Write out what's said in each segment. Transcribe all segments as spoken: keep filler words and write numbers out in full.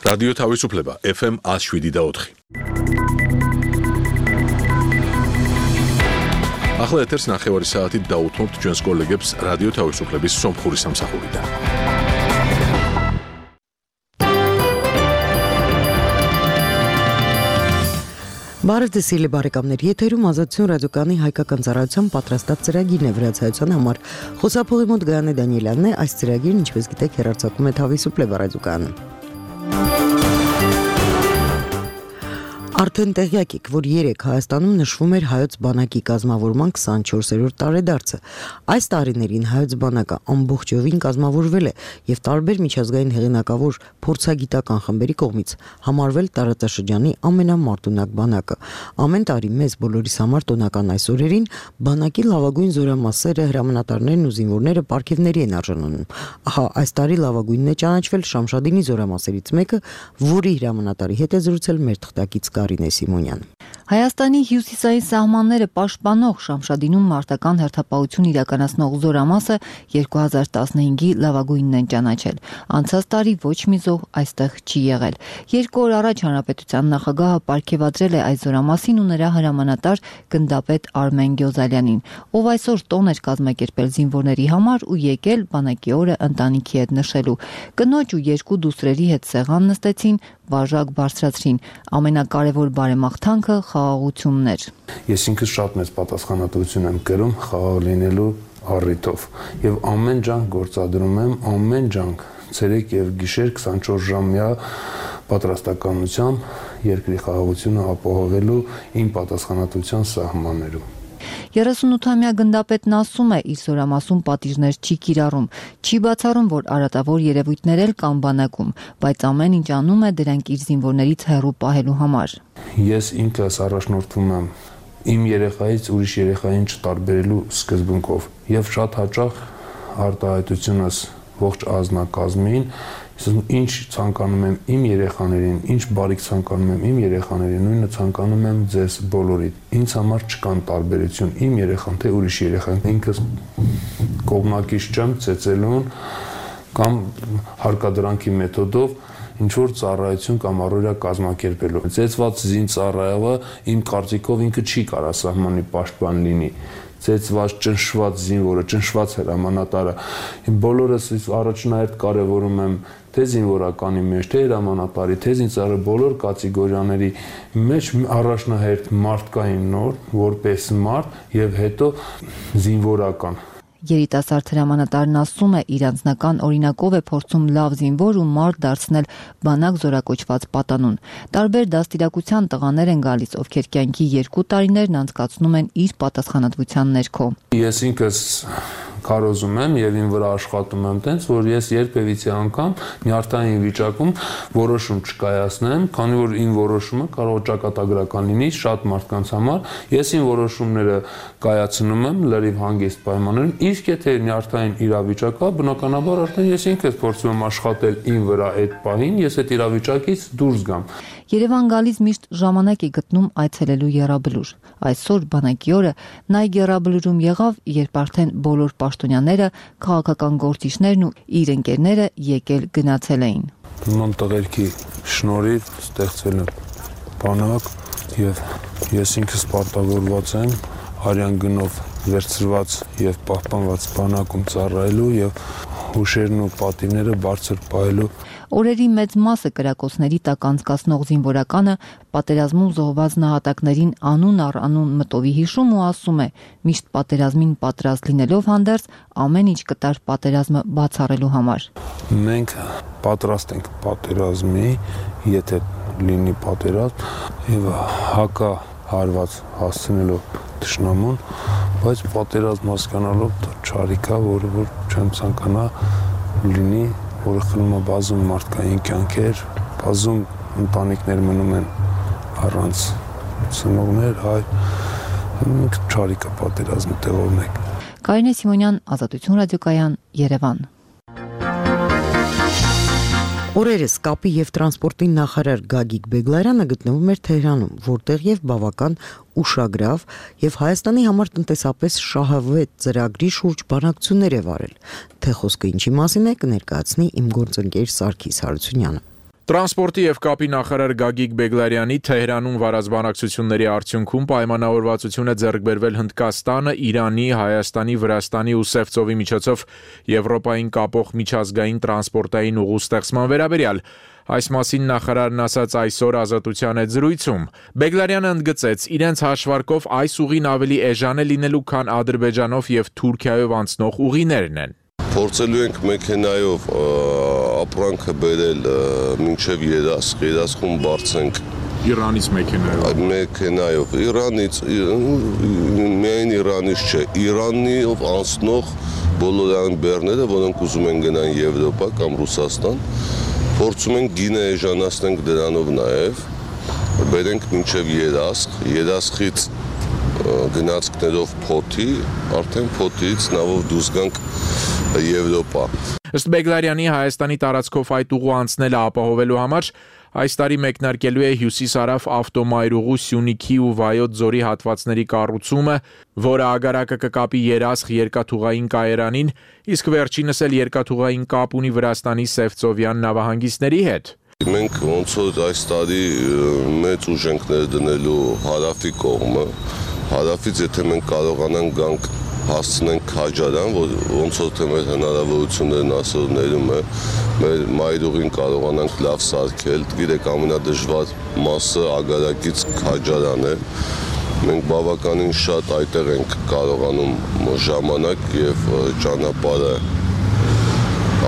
Ռադիո Թավիսուփլեբա Էֆ Էմ աշվիդի դաոթխի Ախլա եթերս նախևարի սաատի դաութմոտ ջոնս կոլեգեբս Ռադիո Թավիսուփլեբիս սոմփուրի սամսախուրիդա Բարև ձեզ սիրելի բարեկամներ, եթերում Ազատություն ռադիոկայանի հայկական ծառայության պատրաստած ծրագիրն է վրացայության համար։ Խոսափողի մոտ Գայանե Դանիելյանն է, այս ծրագիրն, ինչպես գիտեք, հեռարձակվում է Թավիսուփլեբա ռադիոկայանում։ Արդեն տեղյակ եք, որ երեկ Հայաստանում նշվում էր հայոց բանակի կազմավորման քսանչորսերորդ տարեդարձը։ Այս տարիներին հայոց բանակը ամբողջովին կազմավորվել է եւ տարբեր միջազգային հեղինակավոր փորձագիտական խմբերի կողմից համարվել տարածաշրջանի ամենամարտունակ բանակը։ Ամեն տարի մեզ բոլորիս համար տոնական այս օրերին բանակի լավագույն զորամասերը, հրամանատարներն ու զինվորները պարգևների են արժանանում։ Ահա այս տարի լավագույնն է ճանաչվել Շամշադինի զորամասերից մեկը, որի հրամանատարի հետ է զրուցել մեր թղթակից Կարինե Սիմոնյան։ Հայաստանի հյուսիսային սահմանները պաշտպանող Շամշադինում մարտական հերթապահություն իրականացնող զորամասը երկու հազար տասնհինգի լավագույնն են ճանաչել։ Անցած տարի ոչ մի զոհ այստեղ չի եղել։ Երկու օր առաջ հանրապետության նախագահը պարգևադրել է այս զորամասին ու նրա հրամանատար գնդապետ Արմեն Գյոզալյանին, ով այսօր տոն էր կազմակերպել զինվորների համար ու եկել բանակի օրը ընտանիքի հետ նշելու։ Կնոջ ու երկու դուստրերի հետ սեղան նստեցին, վարժակ բարձրացրին։ Ամենակարևոր բարեմաղթանքը խաղաղությունն էր։ Ես ինքս շատ մեծ պատասխանատվություն եմ կրում խաղաղ լինելու առիթով եւ ամեն ջանք գործադրում եմ, ամեն ջանք ցերեկ եւ գիշեր քսանչորս ժամյա պատրաստականությամբ երկրի խաղաղությունը ապահովելու իմ պատասխանատվության սահմաններում։ երեսունութամյա գնդապետն ասում է, իր զորամասում պատիժներ չի կիրառում, չի բացառում, որ արատավոր երևույթներ էլ կան բանակում, բայց ամեն ինչ անում է դրանք իր զինվորներից հեռու պահելու համար։ Ես ինքս առաջնորդվում եմ իմ երեխայից ուրիշ երեխային չտարբերելու սկզբունքով եւ շատ հաճախ արտահայտությունս ողջ ազնագազմին, ինչ ցանկանում եմ իմ երեխաներին, ինչ բարիք ցանկանում եմ իմ երեխաներին, նույնը ցանկանում եմ ձեզ բոլորիդ։ Ինձ համար չկան տարբերություն, իմ երեխան թե ուրիշ երեխան, ինքս կողմնակից չեմ ծեծելուն կամ հարկադրանքի մեթոդով ինչ որ ծառայություն կամ առօրյա կազմակերպելու։ Ծեծված զինծառայողը իմ կարծիքով ինքը չի կարա սահմանի պաշտպան լինի։ Ծեծված, ճնշված զինվորը, ճնշված հրամանատարը։ Բոլորս առաջնահերթ կարևորում եմ թե զինվորականի մեջ, թե հրամանատարի, թե զինծառայողի բոլոր կատեգորիաների մեջ առաջնահերթ մարդկային նոր, որպես մարդ եւ հետո զինվորական։ Երիտասարդ հրամանատարն ասում է, իր անձնական օրինակով է փորձում լավ զինվոր ու մարդ դարձնել բանակ զորակոչված պատանուն։ Տարբեր դաստիարակության տղաներ են գալիս, ովքեր կյանքի երկու տարիներն անցկացնում են իր պատասխանատվության ներքո։ Ես ինքս քարոզում եմ եւ ին վրա աշխատում եմ տենց, որ ես երբևիցե անգամ նյարդային վիճակում որոշում չկայացնեմ, քանի որ ին որոշումը կարող է ճակատագրական լինի շատ մարդկանց համար։ Ես ին որոշումները կայացնում եմ լրիվ հանգիստ պայմաններում, իսկ եթե նյարդային իրավիճակա, բնականաբար արդեն ես ինքս փորձում եմ աշխատել ին վրա այդ պահին, ես այդ իրավիճակից դուրս գամ։ Երևան գալիս միշտ ժամանակ է գտնում այցելելու եռաբլուր։ Այսօր բանակի օրը նա եռաբլուրում եղավ, երբ արդեն բոլոր պաշտոնյաները, քաղաքական գործիչներն ու իր ընկերները եկել գնացել էին։ Նման տղերքի շնորհիվ ստեղծվել է բանակ եւ ես ինքս պարտավորված եմ արյան գնով վերցրված եւ պահպանված բանակում ծառայելու եւ հուշերն ու պատիվները բարձր պահելու։ Օրերի մեծ մասը կրակոցների տակ անցկացնող զինվորականը պատերազմում զոհված նահատակներին անուն առ անուն մտովի հիշում ու ասում է, միշտ պատերազմին պատրաստ լինելով հանդերձ ամեն ինչ կտար պատերազմը բացառելու համար։ Մենք պատրաստ ենք պատերազմի, եթե լինի պատերազմ եւ հակա հարված հասցնելով թշնամուն, բայց պատերազմ հասկանալով չարիքա, որը որ չեմ ցանկանա լինի, որը խլում է բազում մարդկային կյանքեր, բազում ընտանիքներ մնում են առանց ծնողներ, հայ, մենք չարիքա պատերազմի տեղով ենք։ Կարինե Սիմոնյան, Ազատություն ռադիոկայան, Երևան։ Օրերս կապի եւ տրանսպորտի նախարար Գագիկ Բեգլարյանը գտնվում էր Թեհրանում, որտեղ եւ բավական ուշագրավ եւ Հայաստանի համար տնտեսապես շահավետ ծրագրի շուրջ բանակցություններ է վարել։ Թե խոսքը ինչի մասին է, կներկայացնի իմ գործընկեր Սարգիս Հարությունյանը։ Տրանսպորտի եւ կապի նախարար Գագիկ Բեգլարյանի Թեհրանում վարած բանակցությունների արդյունքում պայմանավորվածություն է ձեռք բերվել Հնդկաստանը, Իրանի, Հայաստանի, Վրաստանի ու Սևծովի միջոցով Եվրոպային կապող միջազգային տրանսպորտային ուղու ստեղծման վերաբերյալ։ Այս մասին նախարարն ասաց այսօր Ազատության հետ զրույցում։ Բեգլարյանը ընդգծեց, իրենց հաշվարկով այս ուղին ավելի էժան է լինելու, քան Ադրբեջանով եւ Թուրքիայով անցնող ուղիներն են։ Փորձելու ենք մեքենայով ապրանքը բերել մինչև Երասխ, Երասխում բարձենք Իրանից մեքենայով։ Մեքենայով Իրանից, միայն Իրանից չէ, Իրանով անցնող բոլոր այն բեռները, որոնք ուզում են գնան Եվրոպա կամ Ռուսաստան, փորձում ենք գինը էժանացնենք դրանով նաև, բերենք մինչև Երասխ, Երասխից գնացքներով փոթի, արդեն փոթից նավով դուրս գանք Եվրոպա։ Ըստ Բեգլարյանի Հայաստանի տարածքով այդ ուղու անցնելը ապահովելու համար այս տարի մեկնարկելու է հյուսիսարավ ավտոմայրուղու Սյունիքի ու Վայոց ձորի հատվածների կառուցումը, որը ագարակը կկապի Երասխ երկաթուղային կայարանին, իսկ վերջինս էլ երկաթուղային կապ ունի Վրաստանի Սևծովյան նավահանգիստների հետ։ Մենք ոնց որ այս տարի մեծ ուժ ենք ներդնելու հարավի կողմը, հարավից եթե մենք կարողանանք գանք հասցնենք Քաջարան, որ ոնց որ թե մեր հնարավորություններն ասորներում է, մեր մայրուղին կարողանանք լավ սարքել, գիտեք ամենադժվար մասը ագարակից Քաջարան է, մենք բավականին շատ այդտեղ ենք կարողանում ժամանակ եւ ճանապարհը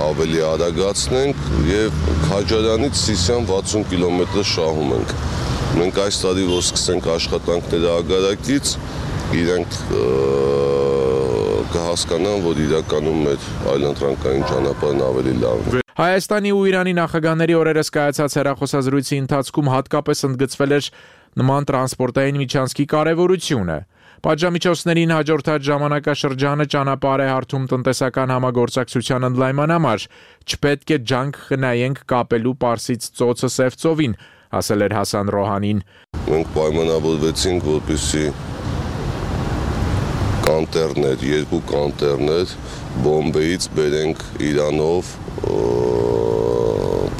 ավելի արագացնենք եւ Քաջարանից Սիսիան վաթսուն կիլոմետր շահում ենք։ Մենք այս տարի որ սկսենք աշխատանքները ագարակից, իրենք կհասկանան, որ իրականում մեր այլընտրանքային ճանապարհն ավելի լավն է։ Հայաստանի ու Իրանի նախագահների օրերս կայացած հեռախոսազրույցի ընթացքում հատկապես ընդգծվել էր նման տրանսպորտային միջանցքի կարևորությունը։ Պատժամիջոցներին հաջորդած ժամանակաշրջանը ճանապարհ է հարթում տնտեսական համագործակցության ընդլայնման համար։ Չպետք է ջանք խնայենք կապելու Պարսից ծոցը Սևծովին, ասել էր Հասան Ռոհանին։ Մենք պայմանավորվեցինք, որպեսզի կանտերներ, երկու կանտերներ Բոմբեից բերենք Իրանով,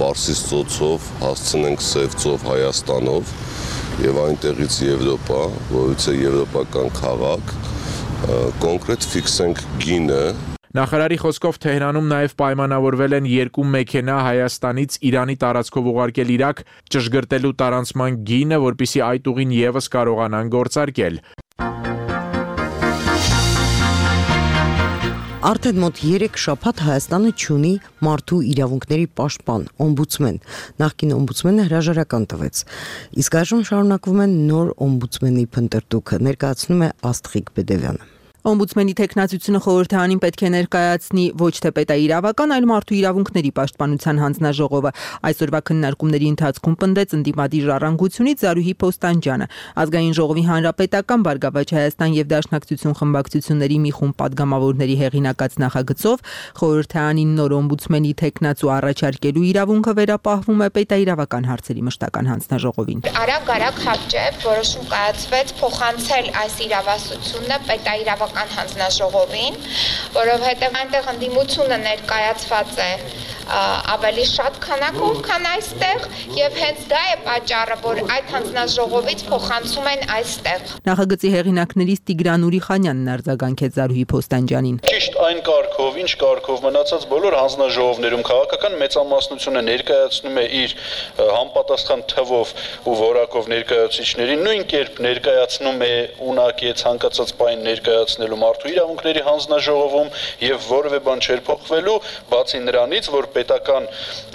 Պարսից ծոցով հասցնենք Սևծով Հայաստանով եւ այնտեղից Եվրոպա, որից է եվրոպական քաղաք, կոնկրետ ֆիքսենք գինը։ Նախարարի խոսքով Թեհրանում նաև պայմանավորվել են երկու մեքենա Հայաստանից Իրանի տարածքով ուղարկել Իրաք, ճշգրտելու տարանցման գինը, որպեսզի այդ ուղին եւս կարողանան գործարկել։ Արդեն մոտ երեք շաբաթ Հայաստանը չունի մարդու իրավունքների պաշտպան, օմբուդսմեն։ Նախկին օմբուդսմենը հրաժարական տվեց։ Իսկ այժմ շարունակվում են նոր օմբուդսմենի փնտրտուքը, ներկայացնում է Աստղիկ Բեդևյանը։ Օմբուդսմենի թեկնածությունը խորհրդարանին պետք է ներկայացնի ոչ թե պետաիրավական, այլ մարդու իրավունքների պաշտպանության հանձնաժողովը։ Այսօրվա քննարկումների ընթացքում պնդեց ընդդիմադիր ժառանգությունից Զարուհի Փոստանջյանը։ Ազգային ժողովի հանրապետական Բարգավաճ Հայաստան եւ Դաշնակցություն խմբակցությունների մի խումբ падգամավորների հեղինակած նախագծով խորհրդարանին նոր օմբուդսմենի թեկնածու առաջարկելու իրավունքը վերապահվում է պետաիրավական հարցերի մշտական հանձնաժողովին։ Արագ-արագ հապճեպ որոշում կայացվեց փոխանցել այս իրավասությունը պետաիրավական հանձնաժողովին, որովհետև այնտեղ ընդդիմությունը ներկայացված է ավելի շատ քանակով, քան այստեղ, եւ հենց դա է պատճառը, որ այդ հանձնաժողովից փոխանցում են այստեղ։ Նախագծի հեղինակներից Տիգրան Ուրիխանյանն արձագանքեց Զարուհի Փոստանջյանին։ Ճիշտ այն կարգով, ինչ կարգով մնացած բոլոր հանձնաժողովներում քաղաքական մեծամասնությունը ներկայացնում է իր համապատասխան թվով ու որակով ներկայացուցիչներին, նույն կերպ ներկայացնում է ունակի ցանկացած բան ներկայացնելու մարդու իրավունքների հանձնաժողովում եւ որևէ բան չէր փոխվելու, բացի նրանից, որ պետական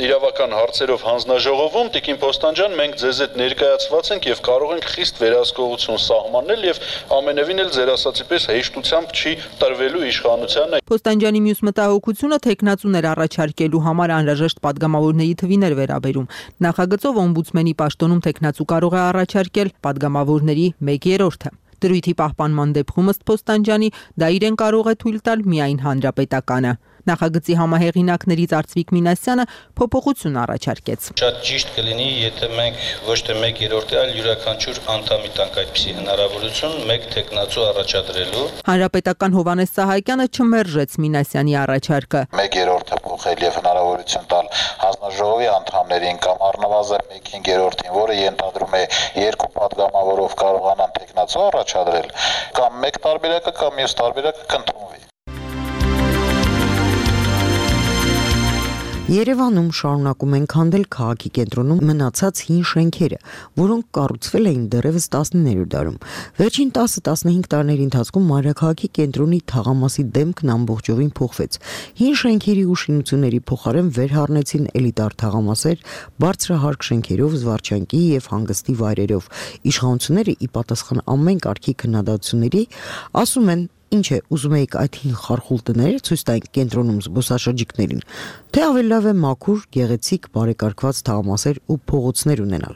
իրավական հարցերով հանձնաժողովում Տիկին Փոստանջյան մենք ձեզ հետ ներկայացված ենք եւ կարող ենք խիստ վերահսկողություն սահմանել եւ ամենևին էլ ձեր ասացի պես հեշտությամբ չի տրվելու իշխանությանը։ Փոստանջյանի մյուս մտահոգությունը թեկնածուներ առաջարկելու համար անհրաժեշտ падգամավորների թվին էր վերաբերում։ Նախագծով օմբուդսմենի պաշտոնում թեկնածու կարող է առաջարկել падգամավորների մեկ երրորդը։ Դրույթի պահպանման դեպքում ըստ Փոստանջյանի դա իրեն կարող է թույլ տալ միայն հանրապետականը։ Նախագծի համահեղինակներից Արծվիկ Մինասյանը փոփոխություն առաջարկեց։ Շատ ճիշտ կլինի, եթե մենք ոչ թե մեկ երրորդը, այլ յուրաքանչյուր անդամի տանք այդպիսի հնարավորություն մեկ տեխնացու առաջադրելու։ Հանրապետական Հովհաննես Սահակյանը չմերժեց Մինասյանի առաջարկը։ Մեկ երրորդը փոխել եւ հնարավորություն տալ հանձնաժողովի անդամներին կամ առնվազն մեկ հինգերորդին, որը ենթադրում է երկու падգամավորով կարողանան տեխնացու առաջադրել, կամ մեկ տարբերակը կամ մյուս տարբերակը կընդունվի։ Երևանում շարունակում են քանդել քաղաքի կենտրոնում մնացած հին շենքերը, որոնք կառուցվել էին դեռևս տասնիններորդ դարում։ Վերջին տասը տասնհինգ տարիների ընթացքում մայրաքաղաքի կենտրոնի թաղամասի դեմքն ամբողջովին փոխվեց։ Հին շենքերի ու շինությունների փոխարեն վերհառնեցին էլիտար թաղամասեր, բարձրահարկ շենքերով, զվարճանքի եւ հանգստի վայրերով։ Իշխանությունները ի պատասխան ամեն կարգի քննադատությունների ասում են, ինչ է, ուզում եք այդ հին խարխուլ տները ցույց տանք կենտրոնում զբոսաշրջիկներին, թե ավելի լավ է մաքուր, գեղեցիկ, բարեկարգված թաղամասեր ու փողոցներ ունենալ։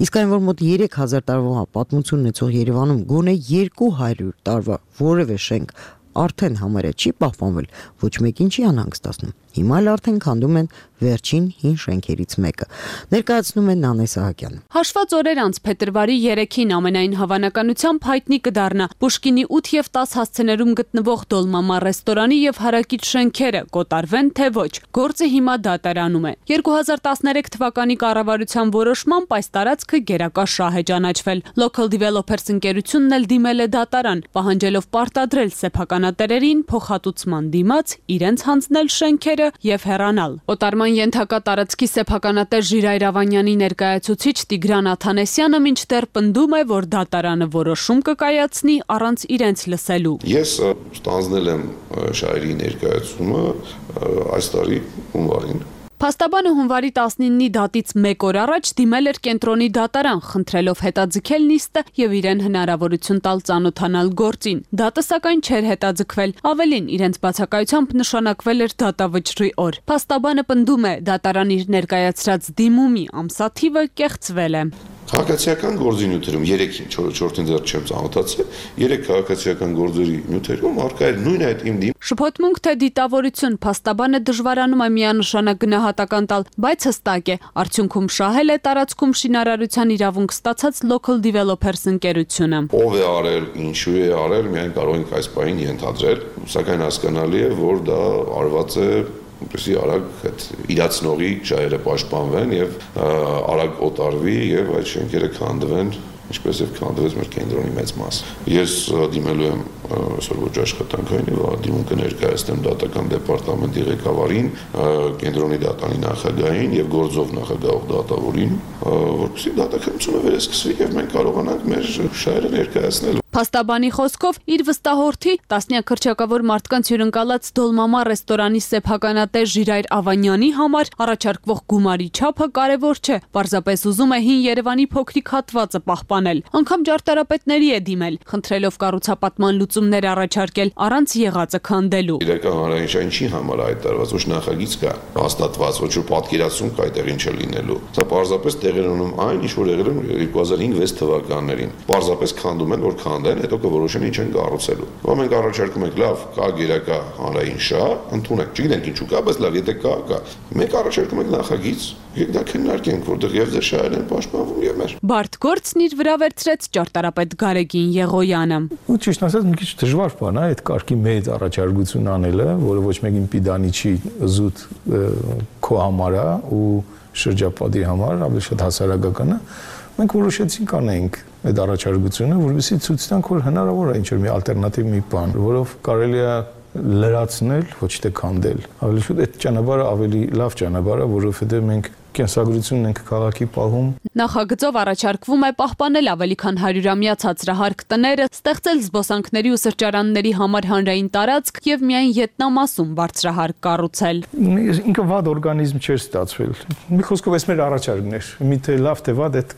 Իսկ այն, որ մոտ երեք հազար տարվա պատմություն ունեցող Երևանում գոնե երկու հարյուր տարվա որևէ շենք արդեն համարյա չի պահպանվել, ոչ մեկին չի անհանգստացնում։ Հիմա էլ արդեն քանդում են վերջին հին շենքերից մեկը։ Ներկայացնում է Նանե Սահակյանը։ Հաշված օրեր անց փետրվարի երեքին ամենայն հավանականությամբ հայտնի կդառնա Պուշկինի ութ եւ տաս հասցեներում գտնվող Դոլմամա ռեստորանի եւ հարակից շենքերը կոտարվեն թե ոչ։ Գործը հիմա դատարանում է։ երկու հազար տասներեք թվականի կառավարության որոշմամբ այս տարածքը գերակա շահ է ճանաչվել։ Local Developers ընկերությունն էլ դիմել է դատարան, պահանջելով պարտադրել սեփականատերերին փոխհատուցման դիմաց իրենց հանձնել շենքերը եւ հեռանալ։ Օտարման ենթակա տարածքի սեփականատեր Ժիրայր Ավանյանի ներկայացուցիչ Տիգրան Աթանեսյանը մինչդեռ պնդում է, որ դատարանը որոշում կկայացնի առանց իրենց լսելու։ Ես ստանձնել եմ շահերի ներկայացումը այս տարի հունվարին։ Փաստաբանը հունվարի տասնինի դատից մեկ օր առաջ դիմել էր կենտրոնի դատարան, խնդրելով հետաձգել նիստը եւ իրեն հնարավորություն տալ ծանոթանալ գործին։ Դատը սակայն չէր հետաձգվել, ավելին իրենց բացակայությամբ նշանակվել էր դատավճռի օր։ Փաստաբանը պնդում է, դատարան իր ներկայացրած դիմումի ամսաթիվը կեղծվել է։ Քաղաքացիական գործի նյութերում երեքին, չորրորդին դեռ չեմ ծանոթացել, երեք քաղաքացիական գործերի նյութերում առկա էր նույն այդ իմ դիմ։ Շփոթմունք թե դիտավորություն, փաստաբանը դժվարանում է միանշանակ գնահատական տալ, բայց հստակ է, արդյունքում շահել է տարածքում շինարարության իրավունք ստացած Local Developers ընկերությունը։ Ով է արել, ինչու է արել, միայն կարող ենք այս պահին ենթադրել, սակայն հասկանալի է, որ դա արված է որպեսզի արագ այդ իրացնողի շահերը պաշտպանվեն եւ արագ օտարվի եւ այդ շենքերը քանդվեն, ինչպես եւ քանդվեց մեր կենտրոնի մեծ մասը։ Ես դիմելու եմ այսօր ոչ աշխատանքային եւ դիմում կներկայացնեմ դատական դեպարտամենտի ղեկավարին, կենտրոնի դատարանի նախագահին եւ գործող նախագահող դատավորին, որպեսզի դատականությունը վերսկսվի եւ մենք կարողանանք մեր շահերը ներկայացնել։ Փաստաբանի խոսքով իր վստահորդի տասնյակ քրճակավոր մարդկանց հյուրընկալած Դոլմամա ռեստորանի սեփականատեր Ժիրայր Ավանյանի համար առաջարկվող գումարի չափը կարևոր չէ, պարզապես ուզում է հին Երևանի փոքրիկ հատվածը պահպանել։ Անգամ ջարդարապետների է դիմել, խնդրելով կառուցապատման լուծումներ առաջարկել առանց եղածը քանդելու։ Իրական հանրային ինչի համար այդ տարված ոչ նախագիծ կա, հաստատված ոչ որ պատկերացում կա այդտեղին չլինելու։ Սա պարզապես տեղեր ունում այն, ինչ որ եղել է երկու հազար հինգ վեց թվականներին։ Պարզապես քանդում են, որ քանդեն, հետո կորոշեն ինչ են կառուցելու։ Ո՞վ մենք առաջարկում ենք, լավ, կա գերակա հանրային շահ, ընդունեք։ Չգիտենք ինչու կա, բայց լավ, եթե կա, կա։ Մենք առաջարկում ենք նախագիծ, եկեք դա քննարկենք, որտեղ եւ ձեր շահերն են պաշտպանվում եւ մեր։ Բարդ գործն իր վրա վերցրեց ճարտարապետ Գարեգին Եղոյանը։ Ու ճիշտ ասած, մի քիչ դժվար բան է այդ կարգի մեծ առաջարկություն անելը, որը ոչ մեկին պիդանի չի զուտ քո համար է ու շրջապատի համար, ավելի շատ հասարակական է։ Մենք որոշեցինք անենք այդ առաջարկությունը, որովհետեւ ցույց տանք, որ հնարավոր է ինչ-որ մի ալտերնատիվ մի բան, որով կարելի է լրացնել, ոչ թե քանդել։ Ավելի շուտ այդ ճանապարհը ավելի լավ ճանապարհ է, որովհետեւ մենք կենսագրությունն ենք քաղաքի պահում։ Նախագծով առաջարկվում է պահպանել ավելի քան հարյուրամյա ցածրահարկ տները, ստեղծել զբոսանքների ու սրճարանների համար հանրային տարածք եւ միայն յետնամասում բարձրահարկ կառուցել։ Ինքը վատ օրգանիզմ չէր ստացվել։ Մի խոսքով էս մեր առաջարկն էր։ Միթե լավ թե վատ այդ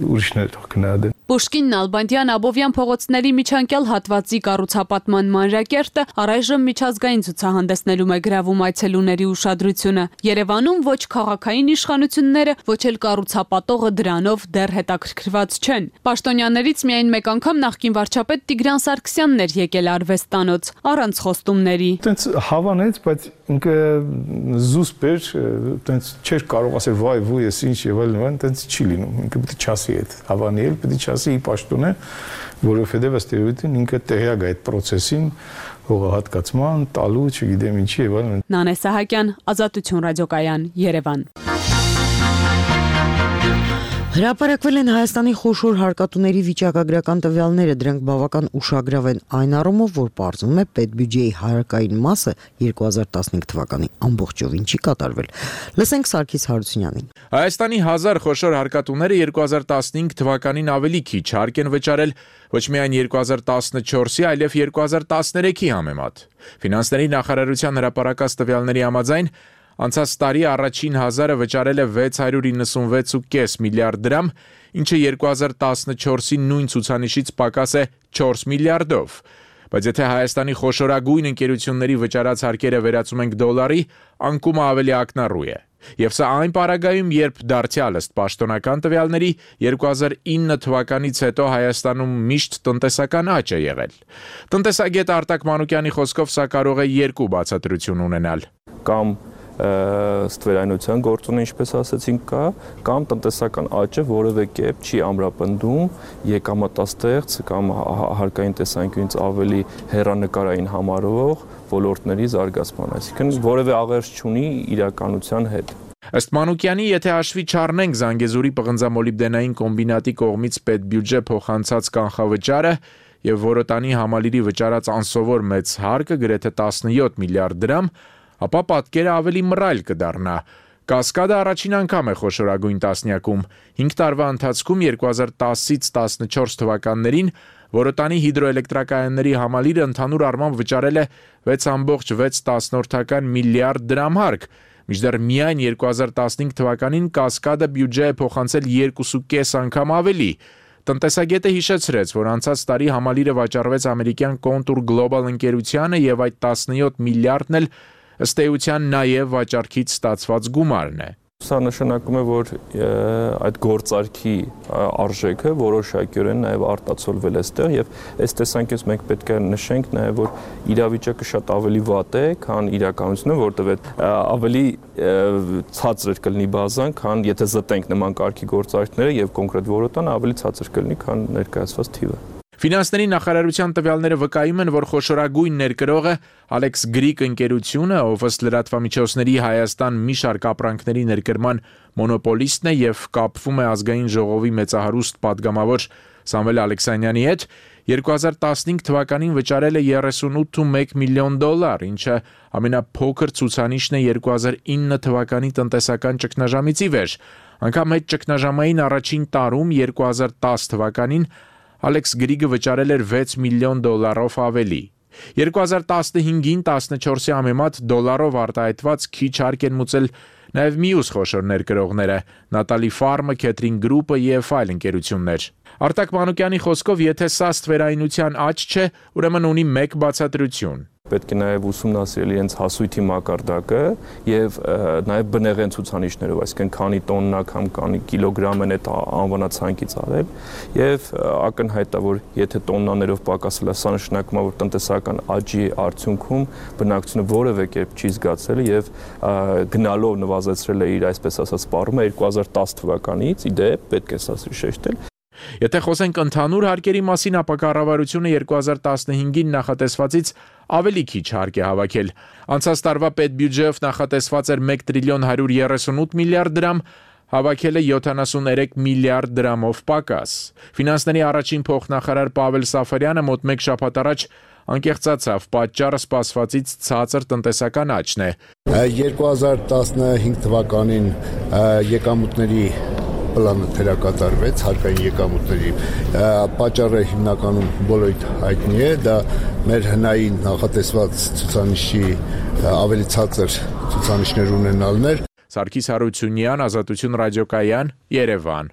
ուրիշներ կնահատեն։ Պուշկին, Նալբանդյան, Աբովյան փողոցների միջանկյալ հատվածի կառուցապատման մանրակերտը առայժմ միջազգային ցուցահանդեսներում է գրավում այցելուների ուշադրությունը։ Երևանում ոչ քաղաքային ազգային իշխանությունները, ոչ էլ կառուցապատողը դրանով դեռ հետաքրքրված չեն։ Պաշտոնյաներից միայն մեկ անգամ նախկին վարչապետ Տիգրան Սարգսյանն էր եկել արվեստանոց առանց խոստումների։ Տենց հավանեց, բայց ինքը զուսպ էր, տենց չէր կարող ասել վայ վույ ես ինչ եւ այլն, տենց չի լինում։ Ինքը պետք է չասի այդ հավանել, պետք է չասի պաշտոնը, որովհետեւ ըստ էության ինքը տեղյակ է այդ process-ին, հողահատկացման, տալու, չգիտեմ ինչի եւ այլն։ Նանե Սահակյան, Ազատություն ռադիոկայան, Երևան։ Հրապարակվել են Հայաստանի խոշոր հարկատուների վիճակագրական տվյալները, դրանք բավական ուշագրավ են այն առումով, որ պարզվում է պետբյուջեի հարակային մասը երկու հազար տասնհինգ թվականի ամբողջովին չի կատարվել։ Լսենք Սարգիս Հարությունյանին։ Հայաստանի հազար խոշոր հարկատուները երկու հազար տասնհինգ թվականին ավելի քիչ հարկ են վճարել ոչ միայն երկու հազար տասնչորսի, այլև երկու հազար տասներեքի համեմատ։ Ֆինանսների նախարարության հրապարակած տվյալների համաձայն անցած տարի առաջին հազարը վճարել է վեց հարյուր իննսունվեց կόμμα պենս միլիարդ դրամ, ինչը երկու հազար տասնչորսի նույն ցուցանիշից պակաս է չորս միլիարդով։ Բայց եթե Հայաստանի խոշորագույն ընկերությունների վճարած հարկերը վերածում ենք դոլարի, անկումը ավելի ակնառու է։ Եվ սա այն պարագայում, երբ դարձյալ ըստ պաշտոնական տվյալների երկու հազար ինը թվականից հետո Հայաստանում միշտ տնտեսական աճ է եղել։ Տնտեսագետ Արտակ Մանուկյանի խոսքով սա կարող է երկու բացատրություն ունենալ։ Կամ ստվերայնության գործոնը, ինչպես ասացինք, կա, կամ տնտեսական աճը որևէ կերպ չի ամրապնդում եկամտաստեղծ կամ հարկային տեսանկյունից ավելի հեռանկարային համարվող ոլորտների զարգացման, այսինքն որևէ աղերս չունի իրականության հետ։ Ըստ Մանուկյանի, եթե հաշվի չառնենք Զանգեզուրի պղնձամոլիբդենային կոմբինատի կողմից պետբյուջե փոխանցած կանխավճարը եւ Որոտանի համալիրի վճարած անսովոր մեծ հարկը գրեթե տասնյոթ միլիարդ դրամ, ապա պատկերը ավելի մռայլ կդառնա։ Կասկադը առաջին անգամ է խոշորագույն տասնյակում։ հինգ տարվա ընթացքում երկու հազար տասից տասնչորս թվականներին Որոտանի հիդրոէլեկտրակայանների համալիրը ընդհանուր առմամբ վճարել է վեց կόμma վեց միլիարդ դրամ հարկ, մինչդեռ միայն երկու հազար տասնհինգ թվականին կասկադը բյուջե է փոխանցել երկու կόμma պենս անգամ ավելի։ Տնտեսագետը հիշեցրեց, որ անցած տարի համալիրը վաճառվեց ամերիկյան Contour Global ընկերությանը եւ այդ տասնյոթ միլիարդն էլ ըստ էության նաև վաճառքից ստացված գումարն է։ Սա նշանակում է, որ այդ գործարքի արժեքը որոշակիորեն նաև արտացոլվել է այստեղ եւ այս տեսանկյունից մենք պետք է նշենք նաև, որ իրավիճակը շատ ավելի վատ է, քան իրականությունը, որտեղ ավելի ցածր կլինի բազան, քան եթե զտենք նման կարգի գործարքները եւ կոնկրետ Որոտանը ավելի ցածր կլինի, քան ներկայացված թիվը։ Ֆինանսների նախարարության տվյալները վկայում են, որ խոշորագույն ներկրողը Alex Greek ընկերությունը, ով ըստ լրատվամիջոցների Հայաստան մի շարք ապրանքների ներկրման մոնոպոլիստն է եւ կապվում է ազգային ժողովի մեծահարուստ падգամավոր Սամվել Ալեքսանյանի հետ, երկու հազար տասնհինգ թվականին վճարել է երեսունութ կόμma մեկ միլիոն դոլար, ինչը ամենափոքր ցուցանիշն է երկու հազար ինը թվականի տնտեսական ճգնաժամից ի վեր։ Անգամ այդ ճգնաժամային առաջին տարում երկու հազար տաս թվականին Alex Greek-ը վճարել էր վեց միլիոն դոլարով ավելի։ երկու հազար տասնհինգին տասնչորսի համեմատ դոլարով արտահայտված քիչ հարկ են մուծել նաև մյուս խոշոր ներկրողները՝ Նատալի Ֆարմը, Քեթրին Գրուպը եւ այլ ընկերություններ։ Արտակ Մանուկյանի խոսքով, եթե սա ստվերայնության աճ չէ, ուրեմն ունի մեկ բացատրություն։ Պետք է նաև ուսումնասիրել իրենց հասույթի մակարդակը եւ նաև բնեղեն ցուցանիշներով, այսինքն քանի տոննա կամ քանի կիլոգրամ են այդ անվանացանկից արել եւ ակնհայտ է, որ եթե տոննաներով պակասել է, սա նշանակում է, որ տնտեսական աճի արդյունքում բնակչությունը որևէ կերպ չի զգացել եւ գնալով նվազեցրել է իր այսպես ասած սպառումը երկու հազար տաս թվականից, ի դեպ պետք է սա շեշտել։ Եթե խոսենք ընդհանուր հարկերի մասին, ապա կառավարությունը երկու հազար տասնհինգին նախատեսվածից ավելի քիչ հարկ է հավաքել։ Անցած տարվա պետբյուջեով նախատեսված էր մեկ տրիլիոն հարյուր երեսունութ միլիարդ դրամ, հավաքել է յոթանասուններեք միլիարդ դրամով պակաս։ Ֆինանսների առաջին փոխնախարար Պավել Սաֆարյանը մոտ մեկ շաբաթ առաջ անկեղծացավ, պատճառը սպասվածից ցածր տնտեսական աճն է։ երկու հազար տասնհինգ թվականին եկամուտների պլանը թերակատարվեց, հարկային եկամուտների պատճառը հիմնականում բոլորիդ հայտնի է, դա մեր հնային նախատեսված ցուցանիշի ավելի ցածր ցուցանիշներ ունենալն էր։ Սարգիս Հարությունյան, Ազատություն ռադիոկայան, Երևան։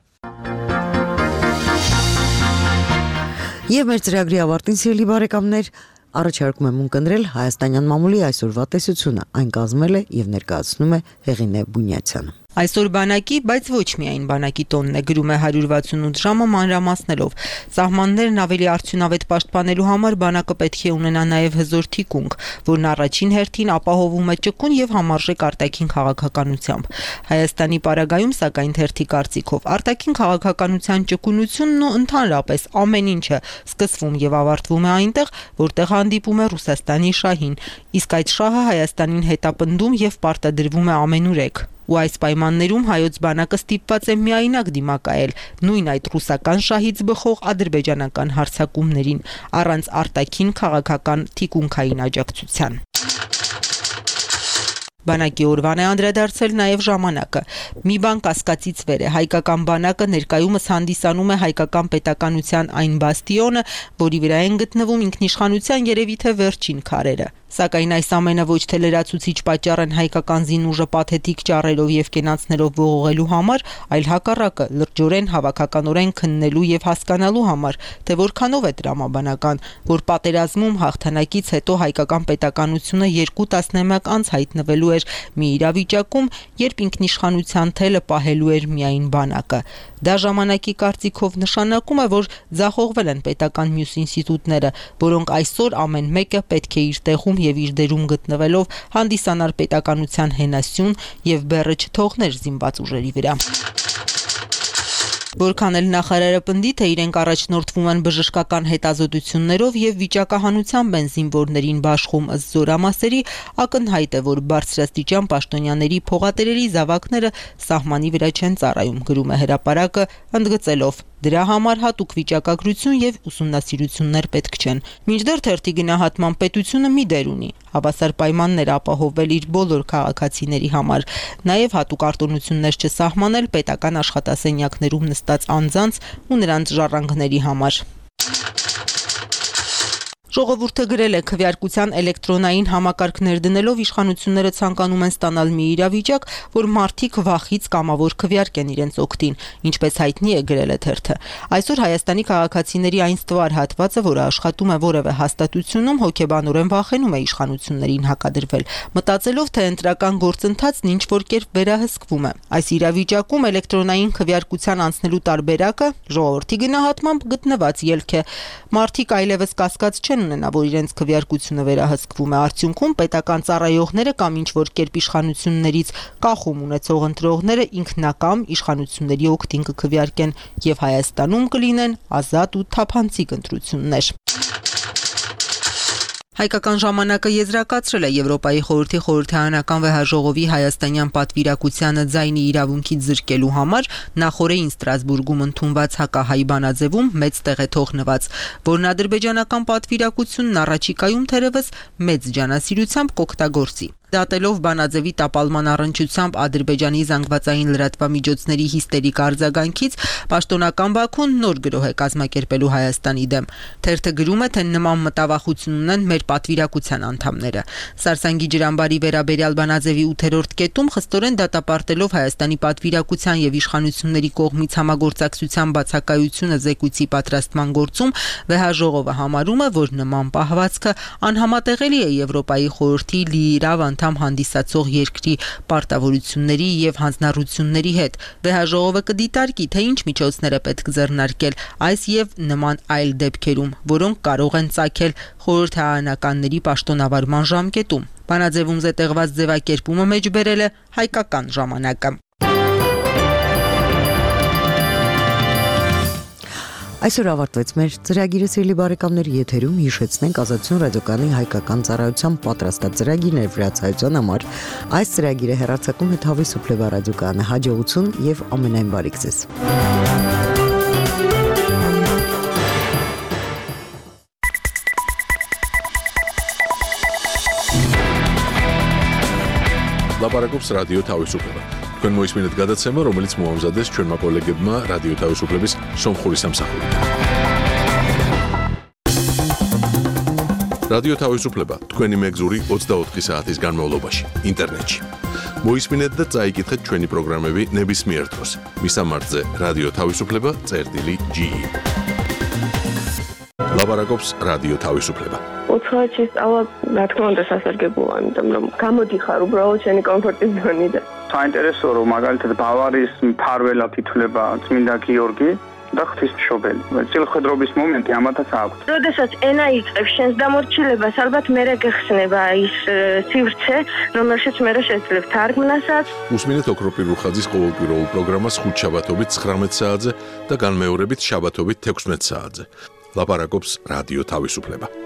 Եվ մեր ծրագրի ավարտին, սիրելի բարեկամներ, առաջարկում եմ ունկնդրել հայաստանյան մամուլի այսօրվա տեսությունը։ Այն կազմել է եւ ներկայացնում է Հեղինե Բունյացյանը։ Այսօր բանակի, բայց ոչ միայն բանակի տոնն է, գրում է հարյուր վաթսունութ ժամը մանրամասնելով։ Սահմաններն ավելի արդյունավետ պաշտպանելու համար բանակը պետք է ունենա նաև հզոր թիկունք, որն առաջին հերթին ապահովում է ճկուն եւ համարժեք արտաքին քաղաքականությամբ։ Հայաստանի պարագայում, սակայն, թերթի կարծիքով արտաքին քաղաքականության ճկունությունն ու ընդհանրապես ամեն ինչը սկսվում եւ ավարտվում է այնտեղ, որտեղ հանդիպում է Ռուսաստանի շահին, իսկ այդ շահը Հայաստանին հետապնդում եւ պարտադրվում է ամենուրեք։ Ու այս պայմաններում հայոց բանակը ստիպված է միայնակ դիմակայել նույն այդ ռուսական շահից բխող ադրբեջանական հարձակումներին, առանց արտաքին քաղաքական թիկունքային աջակցության։ Բանակի օրվան է անդրադարձել նաև ժամանակը։ Մի բան կասկածից վեր է, հայկական բանակը ներկայումս հանդիսանում է հայկական պետականության այն բաստիոնը, որի վրա են գտնվում ինքնիշխանության երևի թե վերջին քարերը։ Սակայն այս ամենը ոչ թե լրացուցիչ պատճառ են հայկական զինուժը պաթետիկ ճառերով եւ կենացներով ողողելու համար, այլ հակառակը լրջորեն հավաքականորեն քննելու եւ հասկանալու համար, թե որքանով է տրամաբանական, որ պատերազմում հաղթանակից հետո հայկական պետականությունը երկու տասնամյակ անց հայտնվելու էր մի իրավիճակում, երբ ինքնիշխանության թելը պահելու էր միայն բանակը։ Դա ժամանակի կարծիքով նշանակում է, որ ձախողվել են պետական մյուս ինստիտուտները, որոնք այսօր ամեն մեկը պետք է իր տեղում եւ իր դերում գտնվելով հանդիսանար պետականության հենասյուն եւ բեռը չթողներ զինված ուժերի վրա։ Որքան էլ նախարարը պնդի, թե իրենք առաջնորդվում են բժշկական հետազոտություններով եւ վիճակահանությամբ են զինվորներին բաշխում ըստ զորամասերի, ակնհայտ է, որ բարձրաստիճան պաշտոնյաների փողատերերի զավակները սահմանի վրա չեն ծառայում, գրում է հրապարակը, ընդգծելով. դրա համար հատուկ վիճակագրություն եւ ուսումնասիրություններ պետք չեն։ Մինչդեռ թերթի գնահատման պետությունը մի դեր ունի, հավասար պայմաններ ապահովել իր բոլոր քաղաքացիների համար, նաեւ հատուկ արտոնություններ չսահմանել պետական աշխատասենյակներում նստած անձանց ու նրանց ժառանգների համար։ Ժողովուրդը գրել է քվեարկության էլեկտրոնային համակարգներ դնելով իշխանությունները ցանկանում են ստանալ մի իրավիճակ, որ մարդիկ վախից կամավոր քվեարկեն իրենց օգտին, ինչպես հայտնի է գրել է թերթը։ Այսօր Հայաստանի քաղաքացիների այն ստվար հատվածը, որը աշխատում է որևէ հաստատությունում, հոգեբանորեն վախենում է իշխանություններին հակադրվել, մտածելով, թե ընտրական գործընթացն ինչ որ կերպ վերահսկվում է։ Այս իրավիճակում էլեկտրոնային քվեարկության անցնելու տարբերակը ժողովրդի գնահատմամբ գտնված ելք է։ Մարդիկ այլևս կասկած չեն ունենա, որ իրենց քվեարկությունը վերահսկվում է, արդյունքում պետական ծառայողները կամ ինչ որ կերպ իշխանություններից կախում ունեցող ընտրողները ինքնակամ իշխանությունների օգտին կքվեարկեն եւ Հայաստանում կլինեն ազատ ու թափանցիկ ընտրություններ։ Հայկական ժամանակը եզրակացրել է Եվրոպայի խորհրդի խորհրդարանական վեհաժողովի հայաստանյան պատվիրակությանը ձայնի իրավունքից զրկելու համար նախորդին Ստրասբուրգում ընդունված հակահայ բանաձևում մեծ տեղ է թողնված, որն ադրբեջանական պատվիրակությունն առաջիկայում թերևս մեծ ջանասիրությամբ կօգտագործի։ Դատելով բանաձևի տապալման առնչությամբ Ադրբեջանի զանգվածային լրատվամիջոցների հիստերիկ արձագանքից, պաշտոնական Բաքուն նոր գրոհ է կազմակերպելու Հայաստանի դեմ։ Թերթը գրում է, թե նման մտավախություն ունեն մեր պատվիրակության անդամները։ Սարսանգի ջրամբարի վերաբերյալ բանաձևի ութերորդ կետում խստորեն դատապարտելով Հայաստանի պատվիրակության եւ իշխանությունների կողմից համագործակցության բացակայությունը զեկույցի պատրաստման գործում, վեհաժողովը համարում է, որ նման պահվածքը անհամատեղելի է Եվրոպայի խորհրդի լիիրավ անդամ հանդիսացող երկրի պարտավորությունների եւ հանձնառությունների հետ։ Վեհաժողովը կդիտարկի, թե ինչ միջոցներ է պետք ձեռնարկել այս եւ նման այլ դեպքերում, որոնք կարող են ծագել խորհրդարանականների պաշտոնավարման ժամկետում։ Բանաձևում զետեղված ձևակերպումը մեջ բերել է հայկական ժամանակը։ Այսօր ավարտվեց մեր ծրագիրը, սիրելի բարեկամներ, եթերում հիշեցնենք Ազատություն ռադիոկայանի հայկական ծառայության պատրաստած ծրագիրներ վրացայցան համար։ Այս ծրագիրը հեռարձակում է Թավի Սուպլեվա ռադիոկայանը, հաջողություն եւ ամենայն բարիք ձեզ։ Լապարակոպս ռադիո Թավի Սուպլեվա Քան մոյս մինետ գադացեմը, რომელიც մուամզադես չեն մակոլեգբմա ռադիո Թավի Սուպլեվիս շոմ խորիսամ սախորի։ Ռադիո Թավի Սուպլեվա Թքweni մեկ զուրի ოცდაოთხი საათის განმავლობაში ინტერნეტში. მოისმინეთ და წაიკითხეთ ჩვენი პროგრამები ნებისმიერ დროს. მისამართზე რადიო თავისუფლება წერტილი ჯი ი ლაპარაკობს რადიო თავისუფლება. უცხოეთში სწავლა, რა თქმა უნდა, სასარგებლოა, იმიტომ რომ გამოდიხარ უბრალოდ შენი კომფორტის ზონიდან. საინტერესოა, რომ მაგალითად ბავარიის მფარველად ითვლება წმინდა გიორგი და ღვთისმშობელი. წილხვედრობის მომენტი ამათაც აქვს. როდესაც ენა იწყებს შენს დამორჩილებას, ალბათ მერე გეხსნება ის სივრცე, რომელშიც მერე შეძლებ თარგმნასაც. უსმინეთ ოქროპირ რუხაძის ყოველკვირეულ პროგრამას ხუთ შაბათობით ცხრამეტ საათზე და განმეორებით შაბათობით თექვსმეტ საათზე. ლაპარაკობს რადიო თავისუფლება.